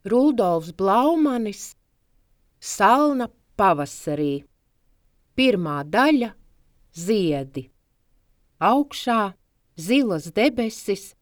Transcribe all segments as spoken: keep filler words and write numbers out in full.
Rudolfs Blaumanis, Salna pavasarī. Pirmā daļa – ziedi. Augšā zilas debesis,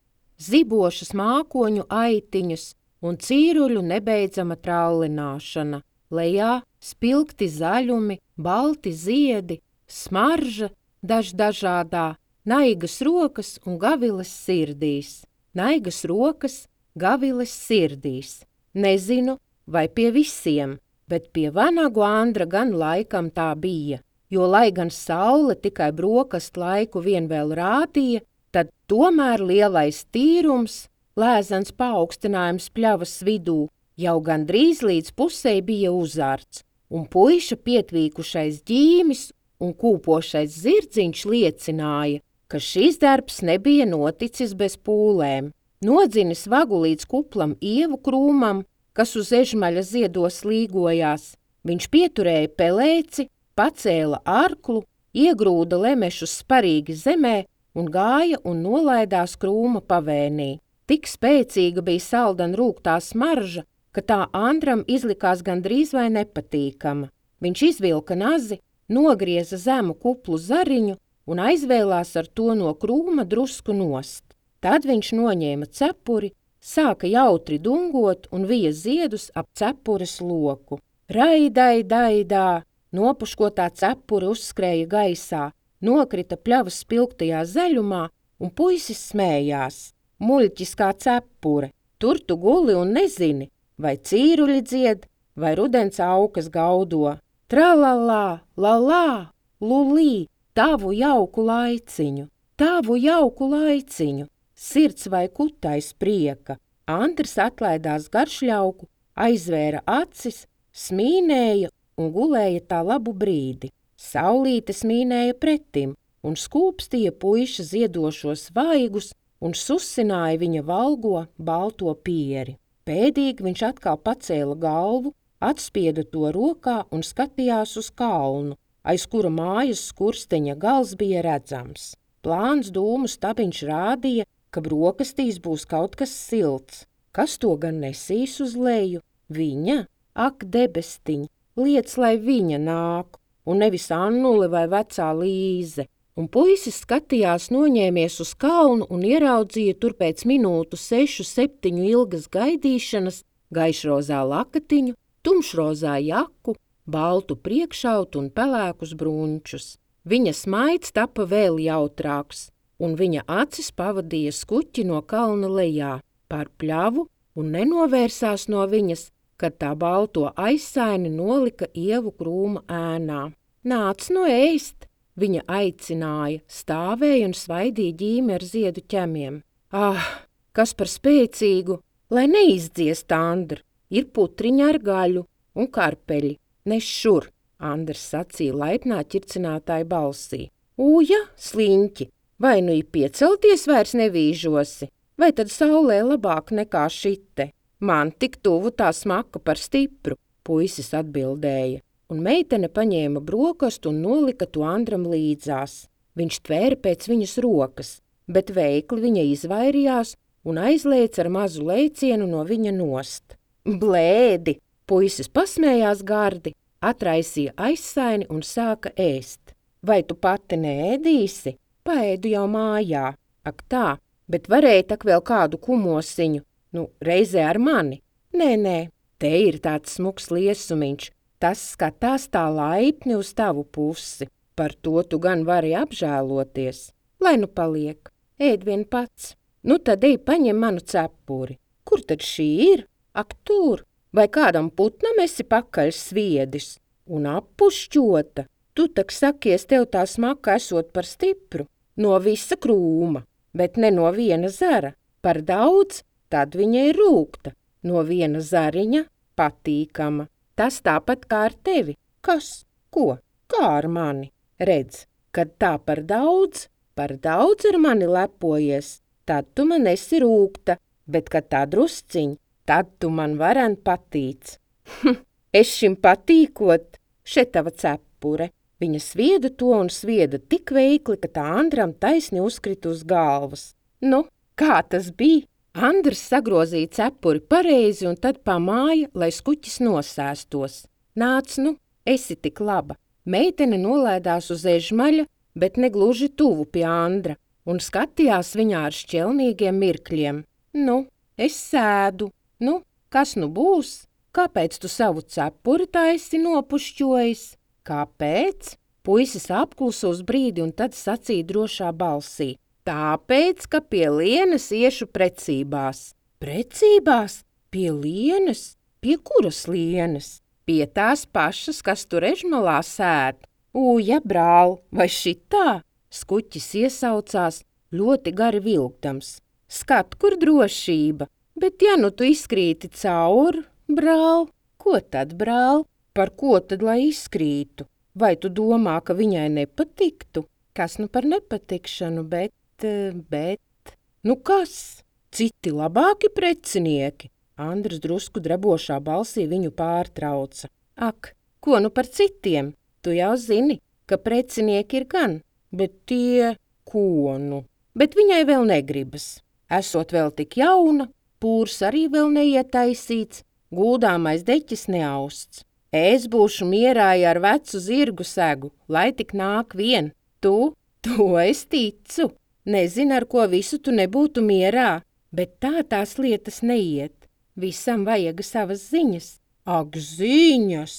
zibošas mākoņu aitiņas un cīruļu nebeidzama trallināšana. Lejā spilgti zaļumi, balti ziedi, smarža daždažādā, naigas rokas un gaviles sirdīs. Naigas rokas, gaviles sirdīs. Nezinu, vai pie visiem, bet pie Vanagu Andra gan laikam tā bija, jo, lai gan saule tikai brokastu laiku vien vēl rādīja, tad tomēr lielais tīrums, lēzens paaugstinājums pļavas vidū, jau gandrīz līdz pusei bija uzārts, un puiša pietvīkušais ģīmis un kūpošais zirdziņš liecināja, ka šis darbs nebija noticis bez pūlēm. Nodzinis vagu līdz kuplam ievu krūmam, kas uz ežmaļa ziedos līgojās. Viņš pieturēja pelēci, pacēla arklu, iegrūda lemešus sparīgi zemē un gāja un nolaidās krūma pavēnī. Tik spēcīga bija saldan rūgtā smarža, ka tā Andram izlikās gandrīz vai nepatīkama. Viņš izvilka nazi, nogrieza zemu kuplu zariņu un aizvēlās ar to no krūma drusku nost. Tad viņš noņēma cepuri, sāka jautri dungot un vija ziedus ap cepures loku. Raidai, daidā, nopuškotā cepure uzskrēja gaisā, nokrita pļavas spilgtajā zaļumā un puisis smējās. Muļķis kā cepure, tur tu guli un nezini, vai cīruļi dzied, vai rudens aukas gaudo. Tralalā, lalā, lulī, tavu jauku laiciņu, tavu jauku laiciņu. Sirds vai kutais prieka. Andris atlaidās garšļauku, aizvēra acis, smīnēja un gulēja tā labu brīdi. Saulīte smīnēja pretim un skūpstīja puiša ziedošos vaigus un susināja viņa valgo balto pieri. Pēdīgi viņš atkal pacēla galvu, atspieda to rokā un skatījās uz kalnu, aiz kura mājas skursteņa gals bija redzams. Plāns dūmu stabiņš rādīja, ka brokastīs būs kaut kas silts. Kas to gan nesīs uz leju? Viņa? Ak, debestiņ, liec, lai viņa nāk, un nevis Annule vai vecā Līze. Un puisis skatījās noņēmies uz kalnu un ieraudzīja tur pēc minūtu sešu, septiņu ilgas gaidīšanas gaišrozā lakatiņu, tumšrozā jaku, baltu priekšautu un pelēkus bruņčus. Viņa smaids tapa vēl jautrāks, un viņa acis pavadīja skuķi no kalna lejā, pār pļavu un nenovērsās no viņas, kad tā balto aizsaini nolika ievu krūma ēnā. Nāc no ēst, viņa aicināja, stāvēja un svaidīja ģīmi ar ziedu ķemiem. Ah, kas par spēcīgu, lai neizdziest Andra, ir putriņa ar gaļu un karpeļi, nes šur, Andrs sacīja laipnā ķircinātāja balsī. Uja, sliņķi! Vai nu ir piecelties vairs nevīžosi, vai tad saulē labāk nekā šite? Man tik tuvu tā smaka par stipru, puisis atbildēja, un meitene paņēma brokastu un nolika to Andram līdzās. Viņš tvēra pēc viņas rokas, bet veikli viņa izvairījās un aizlēca ar mazu lēcienu no viņa nost. Blēdi! Puisis pasmējās gardi, atraisīja aizsaini un sāka ēst. Vai tu pati neēdīsi? Paēdu jau mājā. Ak tā, bet varēja tak vēl kādu kumosiņu, nu, reizē ar mani. Nē, nē, te ir tāds smuks liesumiņš, tas skatās tā laipni uz tavu pusi. Par to tu gan vari apžēloties. Lai nu paliek, ēd vien pats. Nu tad ej paņem manu cepuri. Kur tad šī ir? Ak tur, vai kādam putnam esi pakaļ sviedis? Un appušķota. Tu tak sakies, tev tā smaka esot par stipru, no visa krūma, bet ne no viena zara. Par daudz, tad viņa ir rūgta, no viena zariņa patīkama. Tas tāpat kā ar tevi. Kas? Ko? Kā ar mani? Redz, kad tā par daudz, par daudz ar mani lepojies, tad tu man esi rūgta, bet kad tā drusciņ, tad tu man varen patīc. Es šim patīkot, še tava cepure. Viņa svieda to un svieda tik veikli, ka tā Andram taisni uzkrita uz galvas. Nu, kā tas bija? Andrs sagrozīja cepuri pareizi un tad pamāja, lai skuķis nosēstos. Nāc, nu, esi tik laba. Meitene nolaidās uz ežmaļa, bet negluži tuvu pie Andra, un skatījās viņā ar šķelnīgiem mirkļiem. Nu, es sēdu. Nu, kas nu būs? Kāpēc tu savu cepuri tā esi nopušķojis? Kāpēc? Puisis apklusa uz brīdi un tad sacīja drošā balsī. Tāpēc, ka pie Lienas iešu precībās. Precībās? Pie Lienas? Pie kuras Lienas? Pie tās pašas, kas tur ežmalā sēd. Uja, brāl, vai šitā? Skuķis iesaucās, ļoti gari vilkdams. Skat, kur drošība, bet ja nu tu izkrīti cauri, brāl, ko tad, brāl? Par ko tad, lai izkrītu? Vai tu domā, ka viņai nepatiktu? Kas nu par nepatikšanu, bet, bet... Nu kas? Citi labāki precinieki? Andrs drusku drebošā balsī viņu pārtrauca. Ak, ko nu par citiem? Tu jau zini, ka precinieki ir gan, bet tie, ko nu? Bet viņai vēl negribas. Esot vēl tik jauna, pūrs arī vēl neietaisīts, guldāmais deķis neausts. Es būšu mierā ar vecu zirgu segu, lai tik nāk vien. Tu, to es ticu. Nezinu, ar ko visu tu nebūtu mierā, bet tā tās lietas neiet. Visam vajag savas ziņas. Ak, ziņas!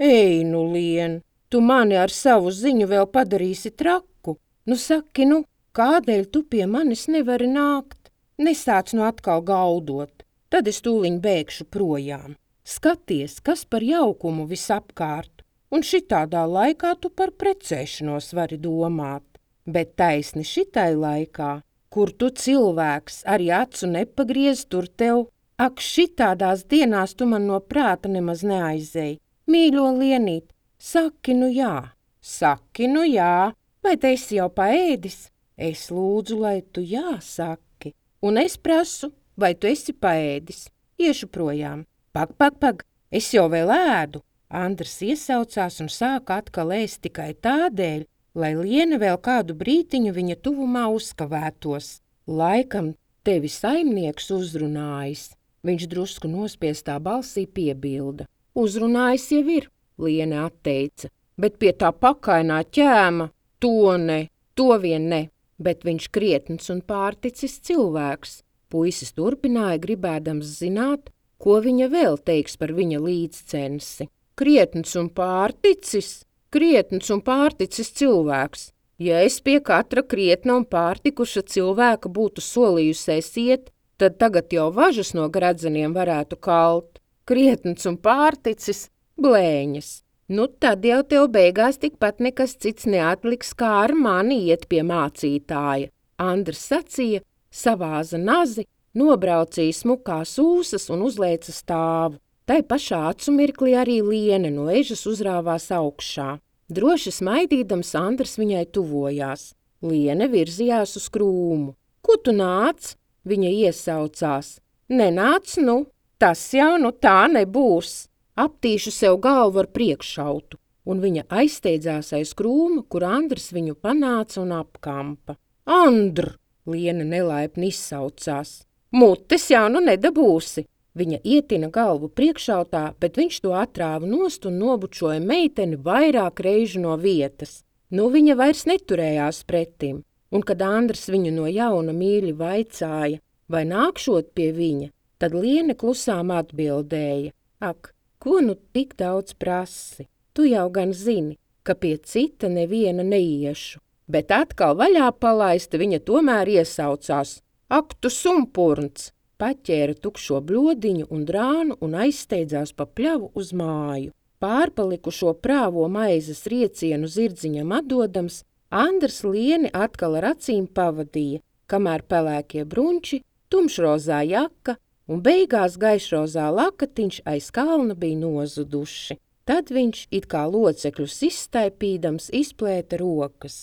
Ej, nu, Lien, tu mani ar savu ziņu vēl padarīsi traku. Nu, saki, nu, kādēļ tu pie manis nevari nākt? Nesāc nu atkal gaudot, tad es tūliņ bēgšu projām. Skaties, kas par jaukumu visapkārt, un šitādā laikā tu par precēšanos vari domāt. Bet taisni šitai laikā, kur tu cilvēks arī acu nepagriez, tur tev, ak, šitādās dienās tu man no prāta nemaz neaizēji. Mīļo Lienīt, saki nu jā, saki nu jā, vai te esi jau paēdis? Es lūdzu, lai tu jā saki, un es prasu, vai tu esi paēdis. Iešu projām. Pag, pag, pag, es jau vēl ēdu. Andrs iesaucās un sāka atkal ēst tikai tādēļ, lai Liena vēl kādu brītiņu viņa tuvumā uzkavētos. Laikam tevi saimnieks uzrunājis. Viņš drusku nospiestā balsī piebilda. Uzrunājis jau ir, Liena atteica, bet pie tā pakainā ķēma, to ne, to vien ne, bet viņš krietns un pārticis cilvēks. Puisis turpināja gribēdams zināt, ko viņa vēl teiks par viņa līdzcensi. Krietns un pārticis, krietns un pārticis cilvēks. Ja es pie katra krietna un pārtikuša cilvēka būtu solījusies iet, tad tagad jau važas no gredzeniem varētu kalt. Krietns un pārticis, blēņas. Nu tad jau tev beigās tikpat nekas cits neatliks, kā ar mani iet pie mācītāja. Andrs sacīja, savāza nazi, nobraucīja smukās ūsas un uzlēca stāvu. Tai pašā acu mirklī arī Liene no ežas uzrāvās augšā. Droši smaidīdams Andrs viņai tuvojās. Liene virzījās uz krūmu. Ko tu nāc? Viņa iesaucās. Nenāc, nu, tas jau nu tā nebūs. Aptīšu sev galvu ar priekšautu. Un viņa aizsteidzās aiz krūmu, kur Andrs viņu panāca un apkampa. Andr! Liene nelaipni izsaucās. Mutes jau nu nedabūsi. Viņa ietina galvu priekšautā, bet viņš to atrāva nost un nobučoja meiteni vairāk reižu no vietas. Nu viņa vairs neturējās pretim, un kad Andrs viņu no jauna mīļi vaicāja, vai nākšot pie viņa, tad Liene klusām atbildēja. Ak, ko nu tik daudz prasi? Tu jau gan zini, ka pie cita neviena neiešu. Bet atkal vaļā palaista viņa tomēr iesaucās. Ak, tu sumpurns! Paķēra tukšo bļodiņu un drānu un aizsteidzās pa pļavu uz māju. Pārpalikušo prāvo maizes riecienu zirdziņam atdodams, Andrs Lieni atkal ar acīm pavadīja, kamēr pelēkie brunči, tumšrozā jaka un beigās gaišrozā lakatiņš aiz kalna bija nozuduši. Tad viņš, it kā locekļus izstaipīdams, izplēta rokas.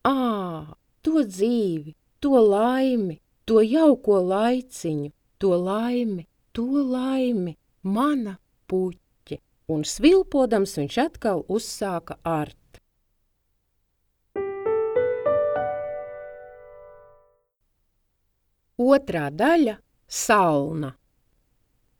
Ā, to dzīvi, to laimi, to jauko laiciņu, to laimi, to laimi, mana puķe. Un svilpodams viņš atkal uzsāka art. Otrā daļa – Salna.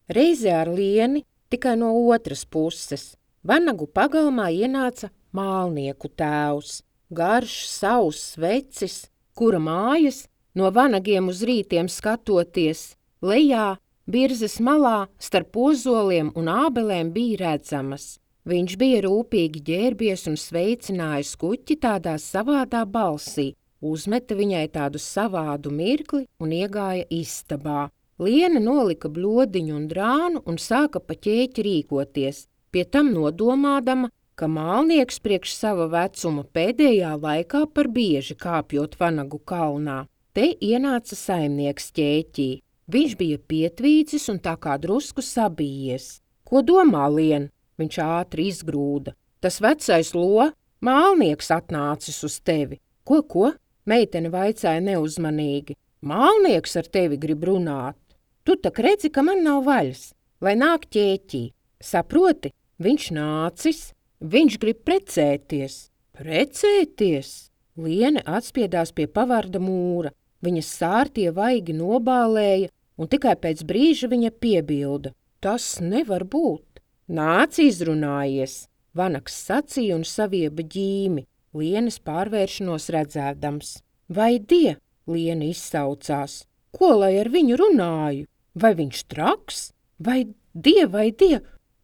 Reize ar Lieni tikai no otras puses. Vanagu pagalmā ienāca mālnieku tēvs, garš, sauss vecis, kura mājas, no vanagiem uz rītiem skatoties, lejā, birzes malā, starp ozoliem un ābelēm bija redzamas. Viņš bija rūpīgi ģērbies un sveicināja skuķi tādā savādā balsī, uzmeta viņai tādu savādu mirkli un iegāja istabā. Liena nolika bļodiņu un drānu un sāka pa ķēķi rīkoties, pie tam nodomādama, ka mālnieks priekš sava vecuma pēdējā laikā par bieži kāpjot Vanagu kalnā. Te ienāca saimnieks ķēķī. Viņš bija pietvīcis un tā kā drusku sabijies. Ko domā, Lien? Viņš ātri izgrūda. Tas vecais lo, mālnieks atnācis uz tevi. Ko, ko? Meitene vaicāja neuzmanīgi. Mālnieks ar tevi grib runāt. Tu tak redzi, ka man nav vaļas, lai nāk ķēķī. Saproti, viņš nācis, viņš grib precēties. Precēties? Liene atspiedās pie pavarda mūra. Viņas sārtie vaigi nobālēja, un tikai pēc brīža viņa piebilda. Tas nevar būt. Nāc izrunājies, Vanags sacīja un savieba ģīmi, Lienes pārvēršanos redzēdams. Vai die, Liene izsaucās, ko lai ar viņu runāju? Vai viņš traks? Vai die, vai die?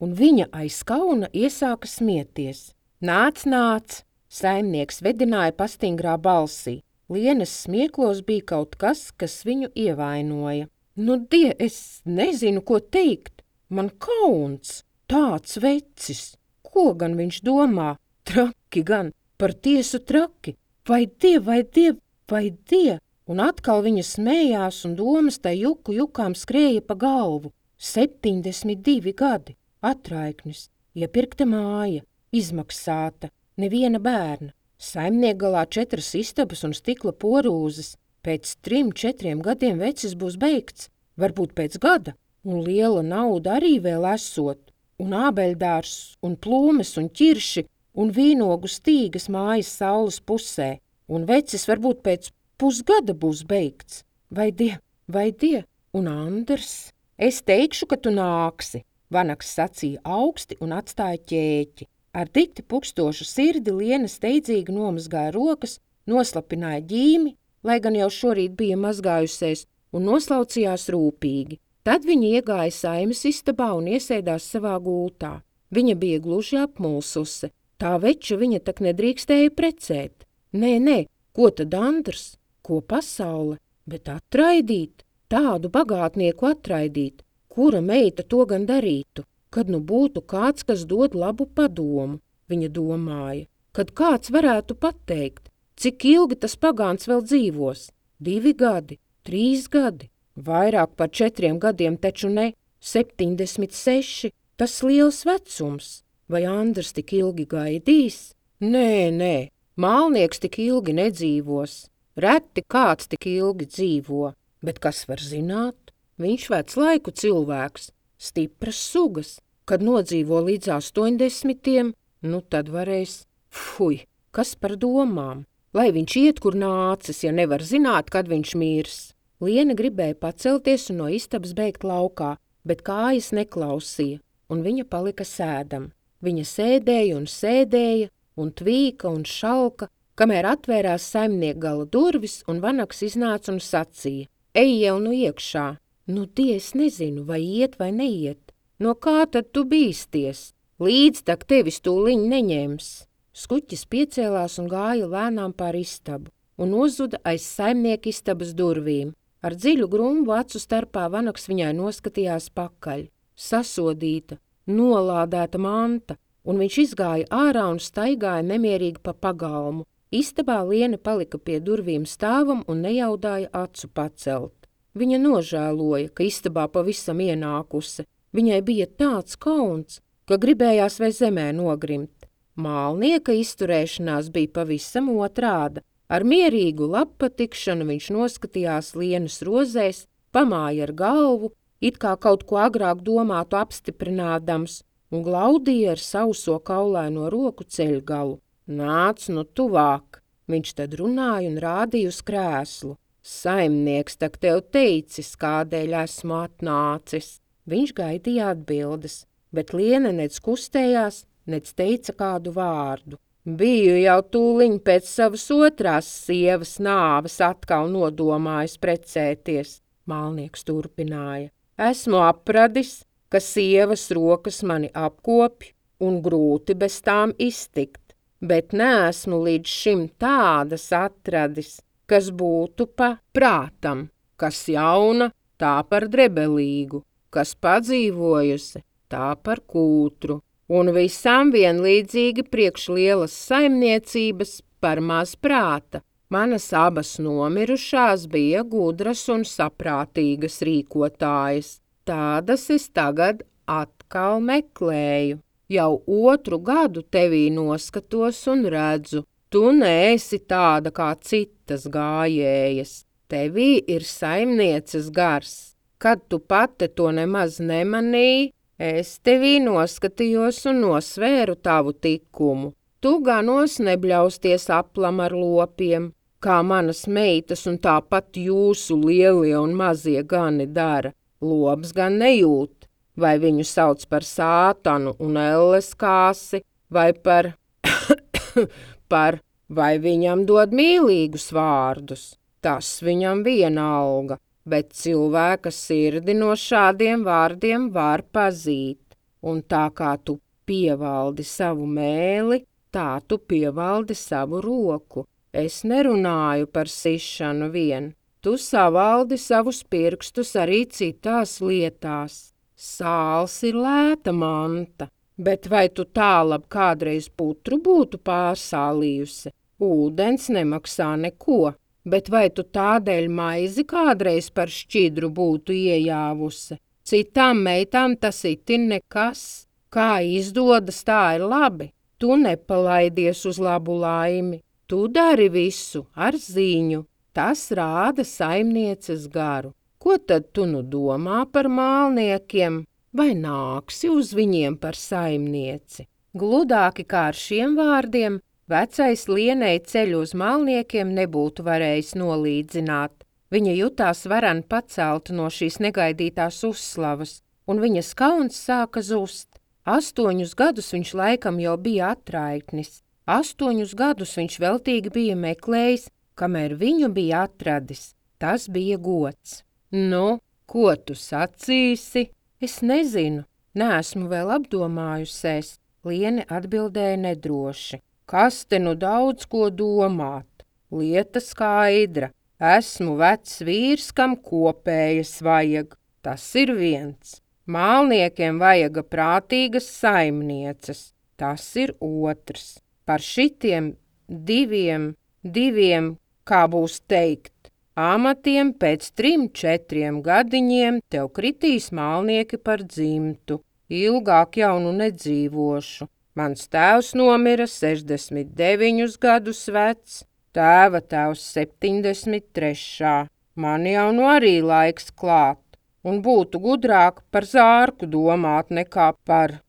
Un viņa aiz kauna iesāka smieties. Nāc, nāc, saimnieks vedināja pastingrā balsī. Lienes smieklos bija kaut kas, kas viņu ievainoja. Nu, die, es nezinu, ko teikt. Man kauns, tāds vecis. Ko gan viņš domā? Traki gan, par tiesu traki. Vai die, vai die, vai die? Un atkal viņa smējās un domas tai juku jukām skrēja pa galvu. Septiņdesmit divi gadi, atraiknis, iepirkta māja, izmaksāta, neviena bērna. Saimniegalā četras istabas un stikla porūzes. Pēc trim, četriem gadiem vecis būs beigts, varbūt pēc gada, un liela nauda arī vēl esot, un ābeļdārs, un plūmes, un ķirši, un vīnogu stīgas mājas saules pusē, un vecis varbūt pēc pusgada būs beigts. Vai die, vai die, un Anders? Es teikšu, ka tu nāksi, Vanags sacīja augsti un atstāja ķēķi. Ar dikti pukstošu sirdi Liena steidzīgi nomazgāja rokas, noslapināja ģīmi, lai gan jau šorīt bija mazgājusies, un noslaucījās rūpīgi. Tad viņa iegāja saimes istabā un iesēdās savā gultā. Viņa bija gluži apmulsusi. Tā veča viņa tak nedrīkstēja precēt. Nē, nē, ko tad Andrs? Ko pasaule? Bet atraidīt? Tādu bagātnieku atraidīt? Kura meita to gan darītu? Kad nu būtu kāds, kas dod labu padomu, viņa domāja. Kad kāds varētu pateikt, cik ilgi tas pagāns vēl dzīvos? Divi gadi, trīs gadi, vairāk par četriem gadiem taču ne, septiņdesmit seši, tas liels vecums. Vai Andrs tik ilgi gaidīs? Nē, nē, mālnieks tik ilgi nedzīvos. Reti kāds tik ilgi dzīvo, bet kas var zināt? Viņš vec laiku cilvēks, stipras sugas. Kad nodzīvo līdz astoņdesmitiem, nu tad varēs, fuj, kas par domām? Lai viņš iet, kur nācis, ja nevar zināt, kad viņš mirs. Liena gribēja pacelties un no istabas beigt laukā, bet kājas neklausīja, un viņa palika sēdam. Viņa sēdēja un sēdēja, un tvīka un šalka, kamēr atvērās saimniekgala durvis, un Vanags iznāca un sacīja. Ej jau nu iekšā. Nu, die, es nezinu, vai iet vai neiet. No kā tad tu bīsties? Līdz tak tevis tūliņ neņems. Skuķis piecēlās un gāja lēnām pār istabu, un nozuda aiz saimnieka istabas durvīm. Ar dziļu grumbu acu starpā Vanags viņai noskatījās pakaļ. Sasodīta, nolādēta manta, un viņš izgāja ārā un staigāja nemierīgi pa pagalmu. Istabā Liena palika pie durvīm stāvam un nejaudāja acu pacelt. Viņa nožēloja, ka istabā pavisam ienākusi. Viņai bija tāds kauns, ka gribējās vai zemē nogrimt. Mālnieka izturēšanās bija pavisam otrāda. Ar mierīgu labpatikšanu viņš noskatījās Lienas rozēs, pamāja ar galvu, it kā kaut ko agrāk domātu apstiprinādams, un glaudīja ar sauso kaulaino roku ceļgalu. Nāc nu tuvāk, viņš tad runāja un rādīja uz krēslu. Saimnieks tak tev teicis, kādēļ esmu atnācis. Viņš gaidīja atbildes, bet Liene nec kustējās, nec teica kādu vārdu. Biju jau tūliņ pēc savas otrās sievas nāves atkal nodomājis precēties, Mālnieks turpināja. Esmu apradis, ka sievas rokas mani apkopj un grūti bez tām iztikt, bet neesmu līdz šim tādas atradis, kas būtu pa prātam, kas jauna, tā par drebelīgu, kas padzīvojusi, tā par kūtru, un visām vienlīdzīgi priekš lielas saimniecības par maz prāta. Manas abas nomirušās bija gudras un saprātīgas rīkotājas. Tādas es tagad atkal meklēju. Jau otru gadu tevī noskatos un redzu, tu neesi tāda kā citas gājējas. Tevī ir saimnieces gars. Kad tu pati to nemaz nemanīji, es tevī noskatījos un nosvēru tavu tikumu. Tu ganos nebļausties aplam ar lopiem, kā manas meitas un tāpat jūsu lielie un mazie gani dara. Lops gan nejūt, vai viņu sauc par sātanu un elles kāsi, vai par, par, vai viņam dod mīlīgus vārdus. Tas viņam vienalga, bet cilvēka sirdi no šādiem vārdiem var pazīt. Un tā kā tu pievaldi savu mēli, tā tu pievaldi savu roku. Es nerunāju par sišanu vien. Tu savaldi savus pirkstus arī citās lietās. Sāls ir lēta manta, bet vai tu tālab kādreiz putru būtu pārsālījusi? Ūdens nemaksā neko, bet vai tu tādēļ maizi kādreiz par šķidru būtu iejāvusi? Citām meitām tas itin nekas. Kā izdodas, tā ir labi. Tu nepalaidies uz labu laimi. Tu dari visu ar ziņu. Tas rāda saimnieces garu. Ko tad tu nu domā par mālniekiem? Vai nāksi uz viņiem par saimnieci? Gludāki kā ar šiem vārdiem, vecais Lienei ceļu uz mālniekiem nebūtu varējis nolīdzināt. Viņa jutās varan pacelt no šīs negaidītās uzslavas, un viņas kauns sāka zust. Astoņus gadus viņš laikam jau bija atraitnis. Astoņus gadus viņš veltīgi bija meklējis, kamēr viņu bija atradis. Tas bija gods. Nu, ko tu sacīsi? Es nezinu, neesmu vēl apdomājusies. Liene atbildēja nedroši. Kas te nu daudz ko domāt? Lieta skaidra. Esmu vecs vīrs, kam kopējas vajag. Tas ir viens. Mālniekiem vajaga prātīgas saimnieces. Tas ir otrs. Par šitiem diviem, diviem, kā būs teikt, amatiem pēc trim, četriem gadiņiem tev kritīs mālnieki par dzimtu. Ilgāk jau nu nedzīvošu. Mans tēvs nomira sešdesmit deviņus gadus vecs, tēva tēvs septiņdesmit trešā. Man jau nu arī laiks klāt, un būtu gudrāk par zārku domāt nekā par...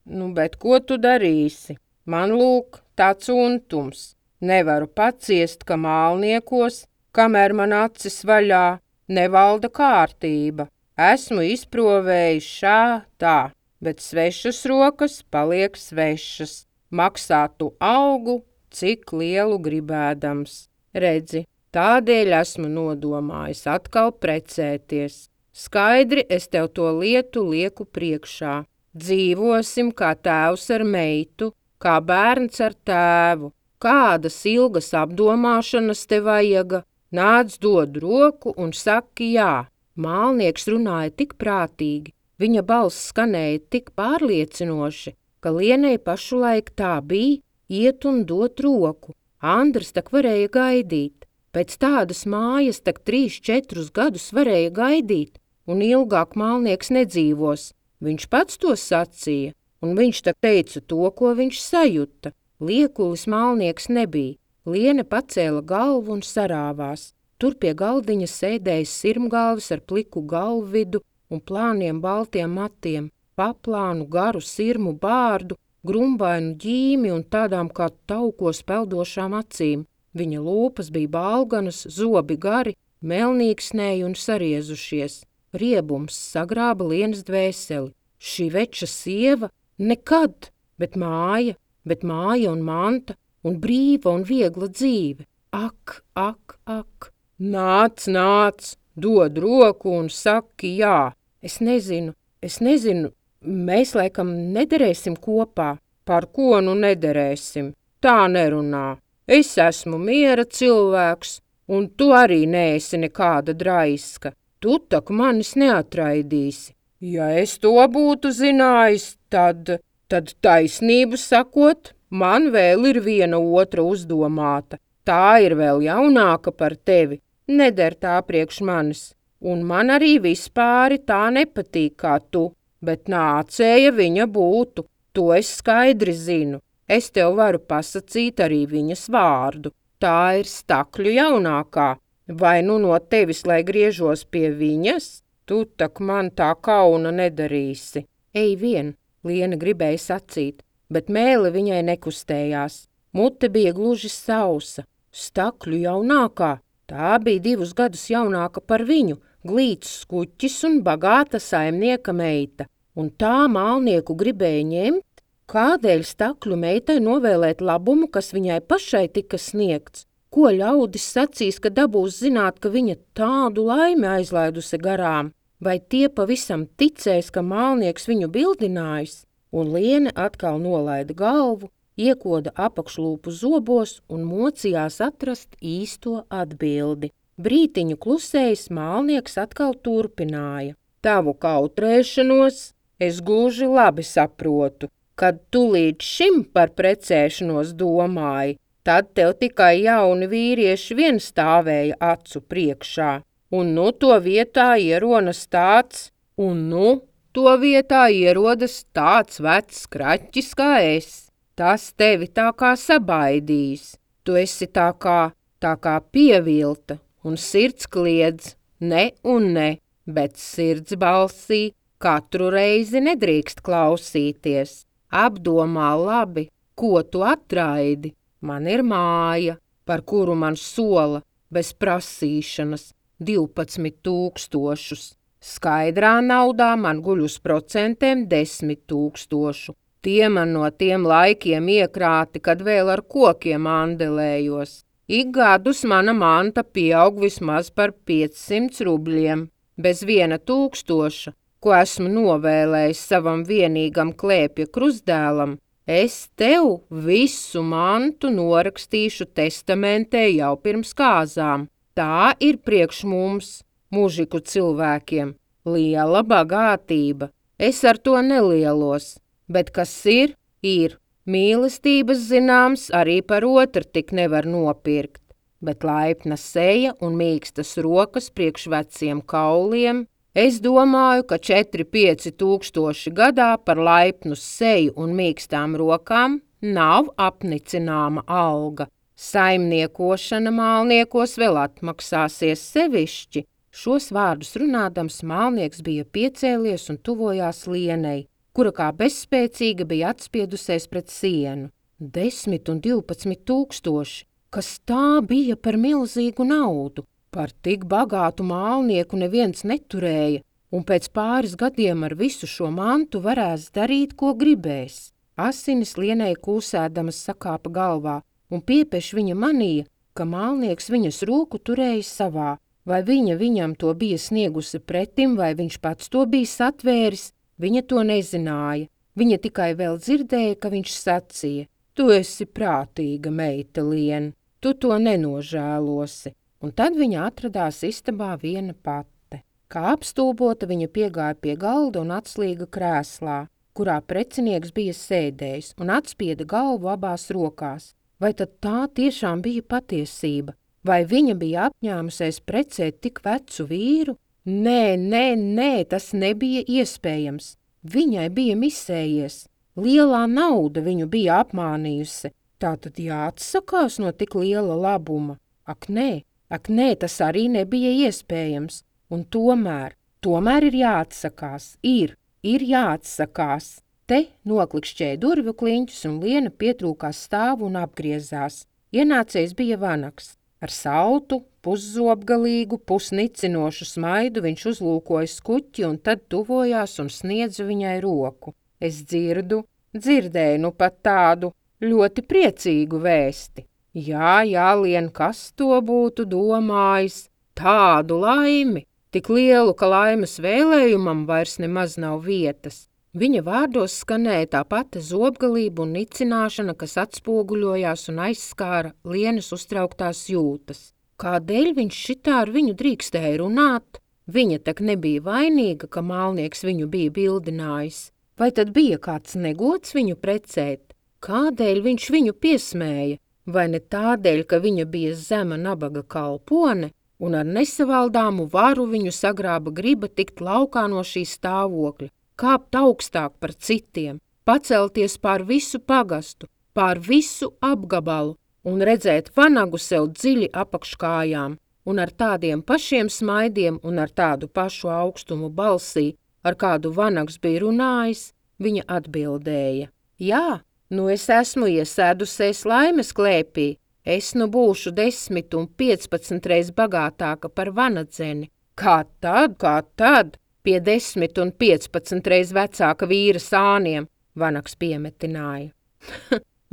Nu, bet ko tu darīsi? Man lūk tāds untums. Nevaru paciest, ka mālniekos, kamēr man acis vaļā, nevalda kārtība. Esmu izprovējis šā tā, bet svešas rokas paliek svešas. Maksā tu augu, cik lielu gribēdams. Redzi, tādēļ esmu nodomājis atkal precēties. Skaidri es tev to lietu lieku priekšā. Dzīvosim kā tēvs ar meitu, kā bērns ar tēvu. Kādas ilgas apdomāšanas te vajaga? Nāc dod roku un saki jā. Mālnieks runāja tik prātīgi, viņa balss skanēja tik pārliecinoši, ka Lienei pašulaik tā bija iet un dot roku. Andrs tak varēja gaidīt. Pēc tādas mājas tak trīs, četrus gadus varēja gaidīt, un ilgāk mālnieks nedzīvos. Viņš pats to sacīja, un viņš tak teica to, ko viņš sajuta. Liekulis mālnieks nebija. Liene pacēla galvu un sarāvās. Tur pie galdiņa sēdēja sirmgalvis ar pliku galvvidu un plāniem baltiem matiem, paplānu garu sirmu bārdu, grumbainu ģīmi un tādām kā taukos peldošām acīm. Viņa lūpas bija balganas, zobi gari, melnīksnēji un sariezušies. Riebums sagrāba Lienas dvēseli. Šī veča sieva nekad, bet māja, bet māja un manta, un brīva un viegla dzīve. Ak, ak, ak! Nāc, nāc, dod roku un saki jā. Es nezinu, es nezinu, mēs laikam nederēsim kopā. Par ko nu nederēsim? Tā nerunā. Es esmu miera cilvēks, un tu arī neesi nekāda draiska. Tu tak manis neatraidīsi. Ja es to būtu zinājis, tad, tad taisnību sakot, man vēl ir viena otra uzdomāta. Tā ir vēl jaunāka par tevi, neder tā priekš manis, un man arī vispāri tā nepatīk kā tu, bet nācēja viņa būtu, to es skaidri zinu. Es tev varu pasacīt arī viņas vārdu. Tā ir Stakļu jaunākā. Vai nu no tevis, lai griežos pie viņas? Tu tak man tā kauna nedarīsi. Ej vien, Liena gribēja sacīt, bet mēle viņai nekustējās. Mute bija gluži sausa. Stakļu jaunākā, tā bija divus gadus jaunāka par viņu, glīts skuķis un bagāta saimnieka meita. Un tā mālnieku gribēja ņemt? Kādēļ Stakļu meitai novēlēt labumu, kas viņai pašai tika sniegts? Ko ļaudis sacīs, ka dabūs zināt, ka viņa tādu laimi aizlaidusi garām? Vai tie pavisam ticēs, ka mālnieks viņu bildinājis? Un Liene atkal nolaida galvu, iekoda apakšlūpu zobos un mocījās atrast īsto atbildi. Brītiņu klusējis mālnieks atkal turpināja. Tavu kautrēšanos es gluži labi saprotu. Kad tu līdz šim par precēšanos domāji, tad tev tikai jauni vīrieši vien stāvēja acu priekšā. Un nu to vietā ierodas tāds, un nu to vietā ierodas tāds vecs kraķis kā es. Tas tevi tā kā sabaidījis. Tu esi tā kā, tā kā pievilta, un sirds kliedz, ne un ne, bet sirds balsī katru reizi nedrīkst klausīties. Apdomā labi, ko tu atraidi. Man ir māja, par kuru man sola, bez prasīšanas, divpadsmit tūkstošus. Skaidrā naudā man guļ uz procentiem desmit tūkstošu. Tie man no tiem laikiem iekrāti, kad vēl ar kokiem andelējos. Ik gadus mana manta pieaug vismaz par piecsimt rubļiem, bez viena tūkstoša, ko esmu novēlējis savam vienīgam klēpja krustdēlam. Es tev visu mantu norakstīšu testamentē jau pirms kāzām. Tā ir priekš mums, mužiku cilvēkiem, liela bagātība. Es ar to nelielos, bet kas ir, ir. Mīlestības zināms arī par otru tik nevar nopirkt, bet laipna seja un mīkstas rokas priekš veciem kauliem. Es domāju, ka četri pieci tūkstoši gadā par laipnu seju un mīkstām rokām nav apnicināma alga. Saimniekošana mālniekos vēl atmaksāsies sevišķi. Šos vārdus runādams mālnieks bija piecēlies un tuvojās Lienei, kura kā bezspēcīga bija atspiedusies pret sienu. Desmit un divpadsmit tūkstoši, kas tā bija par milzīgu naudu. Par tik bagātu mālnieku neviens neturēja, un pēc pāris gadiem ar visu šo mantu varēs darīt, ko gribēs. Asinis Lienei kūsēdamas sakāpa galvā, un piepeš viņa manīja, ka mālnieks viņas roku turēja savā. Vai viņa viņam to bija sniegusi pretim, vai viņš pats to bija satvēris, viņa to nezināja. Viņa tikai vēl dzirdēja, ka viņš sacīja: Tu esi prātīga meita, Lien, tu to nenožēlosi. Un tad viņa atradās istabā viena pate. Kā apstulbota, viņa piegāja pie galda un atslīga krēslā, kurā precinieks bija sēdējis, un atspieda galvu abās rokās. Vai tad tā tiešām bija patiesība? Vai viņa bija apņēmusies precēt tik vecu vīru? Nē, nē, nē, tas nebija iespējams. Viņai bija misējies. Lielā nauda viņu bija apmānījusi. Tātad jāatsakās no tik liela labuma. Ak, nē! Ak, nē, tas arī nebija iespējams, un tomēr, tomēr ir jāatsakās, ir, ir jāatsakās. Te noklikšķēja durvju kliņķus, un Liena pietrūkās stāvu un apgriezās. Ienācējs bija vanags. Ar saltu, puszobgalīgu, pusnicinošu smaidu viņš uzlūkoja skuķi un tad tuvojās un sniedza viņai roku. Es dzirdu, dzirdēju nu pat tādu ļoti priecīgu vēsti. Jā, jā, Lien, kas to būtu domājis? Tādu laimi, tik lielu, ka laimes vēlējumam vairs nemaz nav vietas. Viņa vārdos skanēja tā pati zobgalība un nicināšana, kas atspoguļojās un aizskāra Lienas uztrauktās jūtas. Kādēļ viņš šitā ar viņu drīkstēja runāt? Viņa tak nebija vainīga, ka mālnieks viņu bija bildinājis. Vai tad bija kāds negods viņu precēt? Kādēļ viņš viņu piesmēja? Vai ne tādēļ, ka viņa bija zema nabaga kalpone un ar nesavaldāmu varu viņu sagrāba griba tikt laukā no šī stāvokļa, kāpt augstāk par citiem, pacelties pār visu pagastu, pār visu apgabalu un redzēt vanagu sev dziļi apakškājām un ar tādiem pašiem smaidiem un ar tādu pašu augstumu balsī, ar kādu vanags bija runājis, viņa atbildēja. Jā, nu es esmu iesēdusies laimes klēpī, es nu būšu desmit un piecpadsmit reiz bagātāka par vanadzeni. Kā tad, kā tad? Pie desmit un piecpadsmit reiz vecāka vīra sāniem, vanags piemetināja.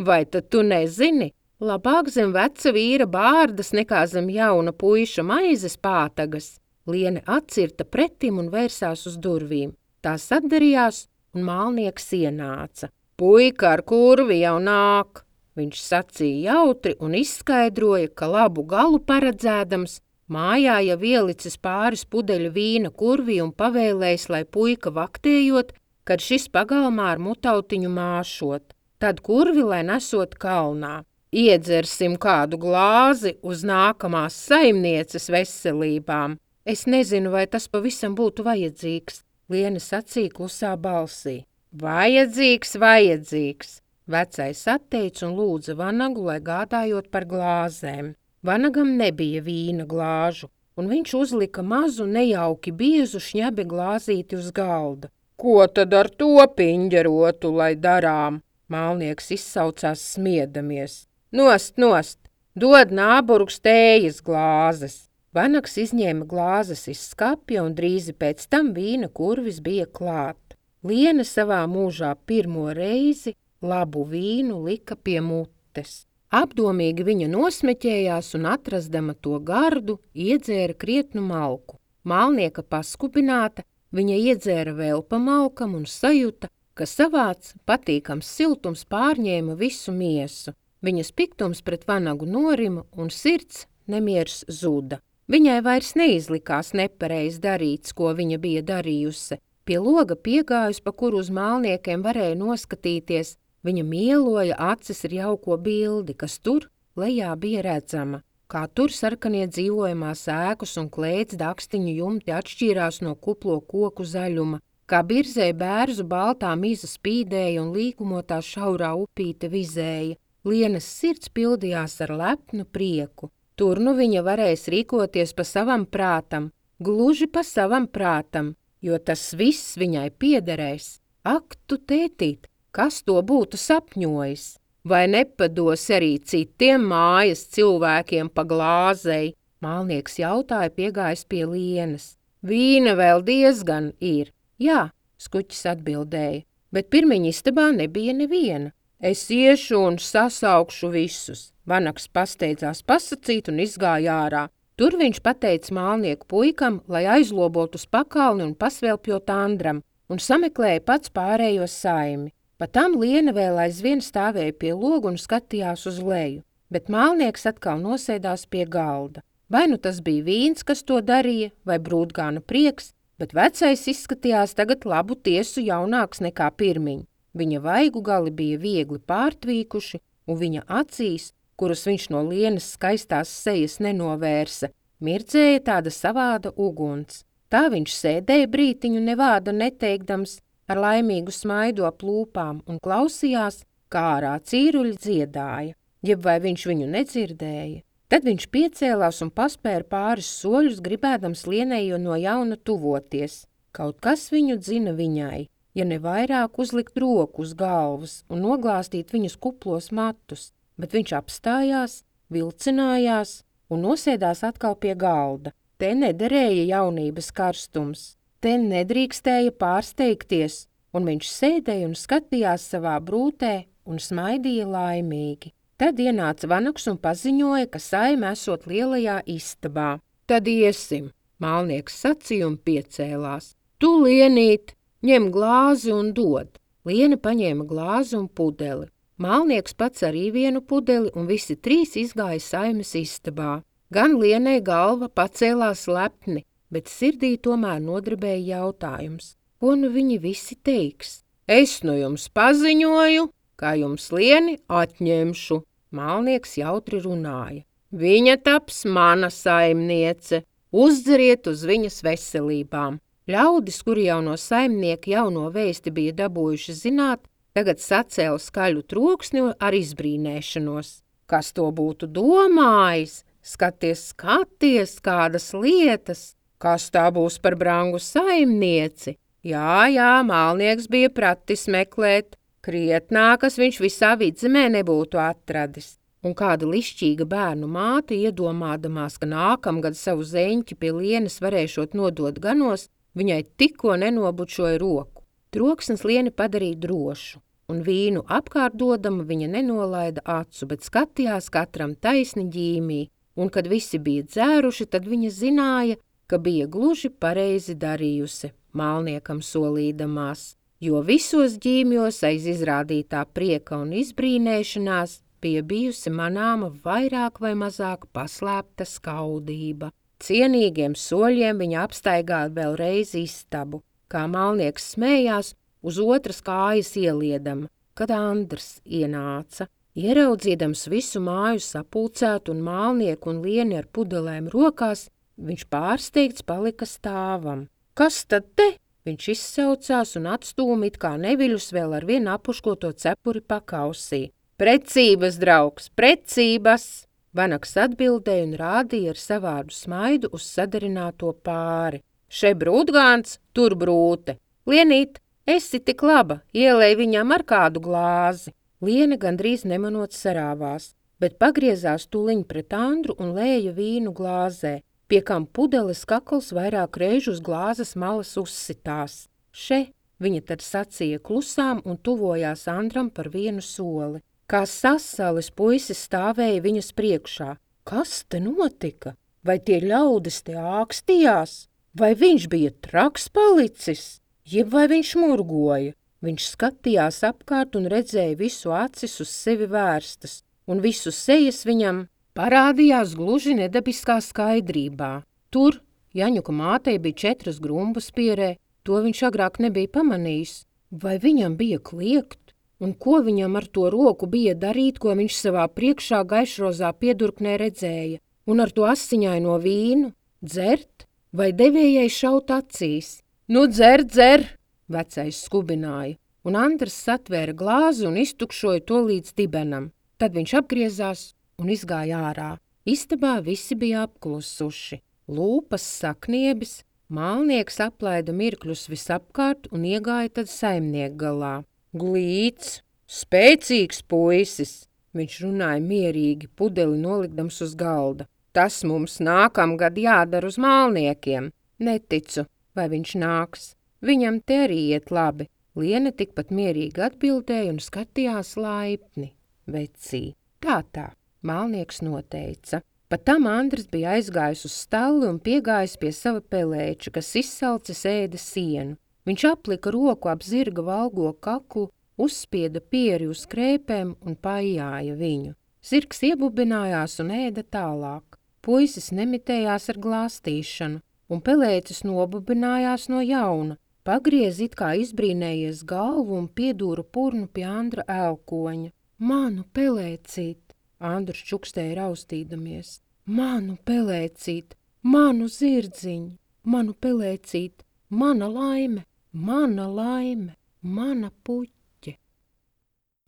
Vai tad tu nezini? Labāk zem veca vīra bārdas nekā zem jauna puiša maizes pātagas. Liene atcirta pretim un vērsās uz durvīm. Tās atdarījās un mālnieks ienāca. Puika ar kurvi jau nāk, viņš sacīja jautri un izskaidroja, ka labu galu paredzēdams, mājā jau ielicis pāris pudeļu vīna kurvī un pavēlējis, lai puika vaktējot, kad šis pagalmā ar mutautiņu māšot, tad kurvi, lai nesot kalnā. Iedzersim kādu glāzi uz nākamās saimnieces veselībām. Es nezinu, vai tas pavisam būtu vajadzīgs, Liene sacīja klusā balsī. Vajadzīgs, vajadzīgs. Vecais atteica un lūdza vanagu, lai gādājot par glāzēm. Vanagam nebija vīna glāžu, un viņš uzlika mazu nejauki biezu šņabi glāzīti uz galda. Ko tad ar to piņģerotu, lai darām? Mālnieks izsaucās smiedamies. Nost, nost, dod nāburgs tējas glāzes. Vanags izņēma glāzes iz skapja un drīzi pēc tam vīna kurvis bija klāt. Liene savā mūžā pirmo reizi labu vīnu lika pie mutes. Apdomīgi viņa nosmeķējās un atrastama to gardu, iedzēra krietnu malku. Mālnieka paskubināta, viņa iedzēra vēl pa malkam un sajuta, ka savāds patīkams siltums pārņēma visu miesu. Viņas piktums pret vanagu norima un sirds nemiers zuda. Viņai vairs neizlikās nepareiz darīts, ko viņa bija darījusi. Pie loga piegājus, pa kuru uz mālniekiem varēja noskatīties, viņa mieloja acis ar jauko bildi, kas tur lejā bija redzama. Kā tur sarkanie dzīvojamās ēkas un klēts dakstiņu jumti atšķīrās no kuplo koku zaļuma, kā birzē bērzu baltā miza spīdēja un līkumotā šaurā upīte vizēja. Lienes sirds pildījās ar lepnu prieku. Tur nu viņa varēs rīkoties pa savam prātam, gluži pa savam prātam, jo tas viss viņai piederēs. Ak, tu tētīt, kas to būtu sapņojis? Vai nepados arī citiem mājas cilvēkiem pa glāzei? Mālnieks jautāja, piegājis pie Lienes. Vīna vēl diezgan ir. Jā, skuķis atbildēja, bet pirmiņa istabā nebija neviena. Es iešu un sasaukšu visus. Vanags pasteidzās pasacīt un izgāja ārā. Tur viņš pateica mālnieku puikam, lai aizlobot uz pakalni un pasvelpjot Andram, un sameklēja pats pārējo saimi. Pa tam Liene vēl aizvien stāvēja pie loga un skatījās uz leju, bet mālnieks atkal nosēdās pie galda. Vai nu tas bija vīns, kas to darīja, vai brūdgāna prieks, bet vecais izskatījās tagad labu tiesu jaunāks nekā pirmiņ. Viņa vaigu gali bija viegli pārtvīkuši, un viņa acīs, kuras viņš no Lienes skaistās sejas nenovērsa, mirdzēja tāda savāda uguns. Tā viņš sēdēja brītiņu nevāda neteikdams, ar laimīgu smaidu ap lūpām un klausījās, kā ārā cīruļi dziedāja, jeb vai viņš viņu nedzirdēja. Tad viņš piecēlās un paspēra pāris soļus, gribēdams Lienei no jauna tuvoties. Kaut kas viņu dzina viņai, ja ne vairāk uzlikt roku uz galvas un noglāstīt viņus kuplos matus. bet viņš apstājās, vilcinājās un nosēdās atkal pie galda. Te nederēja jaunības karstums, te nedrīkstēja pārsteigties, un viņš sēdēja un skatījās savā brūtē un smaidīja laimīgi. Tad ienāca vanags un paziņoja, ka saime esot lielajā istabā. Tad iesim, mālnieks sacīja un piecēlās. Tu, Lienīt, ņem glāzi un dod. Liene paņēma glāzi un pudeli. Mālnieks pats arī vienu pudeli, un visi trīs izgāja saimes istabā. Gan Lienei galva pacēlās lepni, bet sirdī tomēr nodarbēja jautājums. Ko nu viņi visi teiks? Es nu jums paziņoju, kā jums Lieni atņemšu, mālnieks jautri runāja. Viņa taps mana saimniece, uzdzeriet uz viņas veselībām. Ļaudis, kuri jau no saimnieka jauno vēsti bija dabūjuši zināt, tagad sacēla skaļu troksni ar izbrīnēšanos. Kas to būtu domājis? Skaties, skaties, kādas lietas! Kas tā būs par brangu saimnieci? Jā, jā, mālnieks bija pratis meklēt. Krietnākas viņš visā vidzemē nebūtu atradis. Un kāda lišķīga bērnu māte, iedomādamās, ka nākamgad savu zeņķi pie Lienes varēšot nodot ganos, viņai tikko nenobučoja roku. Troksnis Lieni padarīja drošu, un vīnu apkārtdodama viņa nenolaida acu, bet skatījās katram taisni ģīmī, un kad visi bija dzēruši, tad viņa zināja, ka bija gluži pareizi darījusi, mālniekam solīdamās, jo visos ģīmjos aiz izrādītā prieka un izbrīnēšanās bija bijusi manāma vairāk vai mazāk paslēpta skaudība. Cienīgiem soļiem viņa apstaigāja vēlreiz istabu, kā mālnieks smējās uz otras kājas ieliedama, kad Andrs ienāca. Ieraudzīdams visu māju sapulcētu un mālnieku un Lieni ar pudelēm rokās, viņš pārsteigts palika stāvam. Kas tad te? Viņš izsaucās un atstūma it kā neviļus vēl ar vienu apuškoto cepuri pakausī. Precības, draugs, precības! Vanags atbildēja un rādīja ar savādu smaidu uz sadarināto pāri. Še brūtgāns, tur brūte. Lienīt, esi tik laba, ielej viņam ar kādu glāzi. Liene gandrīz nemanot sarāvās, bet pagriezās tuliņ pret Andru un lēja vīnu glāzē, pie kam pudeles kakls vairāk reižu uz glāzes malas uzsitās. Še, viņa tad sacīja klusām un tuvojās Andram par vienu soli. Kā sasalis puisis stāvēja viņas priekšā. Kas te notika? Vai tie ļaudis te ākstījās? Vai viņš bija traks palicis? Jeb vai viņš murgoja? Viņš skatījās apkārt un redzēja visu acis uz sevi vērstas, un visu sejas viņam parādījās gluži nedabiskā skaidrībā. Tur Jaņuka mātei bija četras grumbas pierē, to viņš agrāk nebija pamanījis. Vai viņam bija kliegt? Un ko viņam ar to roku bija darīt, ko viņš savā priekšā gaišrozā piedurknē redzēja? Un ar to asiņaino vīnu? Dzert? Vai devējai šaut acīs? Nu, dzer, dzer! Vecais skubināja, un Andrs satvēra glāzi un iztukšoja to līdz dibenam. Tad viņš apgriezās un izgāja ārā. Istabā visi bija apklusuši. Lūpas sakniebis, mālnieks aplaida mirkļus visapkārt un iegāja tad saimnieku galā. Glīts, spēcīgs puisis, viņš runāja mierīgi, pudeli nolikdams uz galda. Tas mums nākamgad jādara uz mālniekiem. Neticu, vai viņš nāks. Viņam te arī iet labi. Liene tikpat mierīgi atbildēja un skatījās laipni. Vecī, tā tā, mālnieks noteica. Pat tam Andris bija aizgājis uz stalli un piegājis pie sava pelēča, kas izsalcis ēda sienu. Viņš aplika roku ap zirga valgo kaklu, uzspieda pieri uz krēpēm un paijāja viņu. Zirgs iebubinājās un ēda tālāk. Puisis nemitējās ar glāstīšanu, un pelēcis nobubinājās no jauna, pagriez it kā izbrīnējies galvu un piedūra purnu pie Andra elkoņa. Manu pelēcīt, Andrs čukstēja raustīdamies. Manu pelēcīt, manu zirdziņu, manu pelēcīt, mana laime. Mana laime, mana puķe.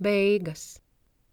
Beigas.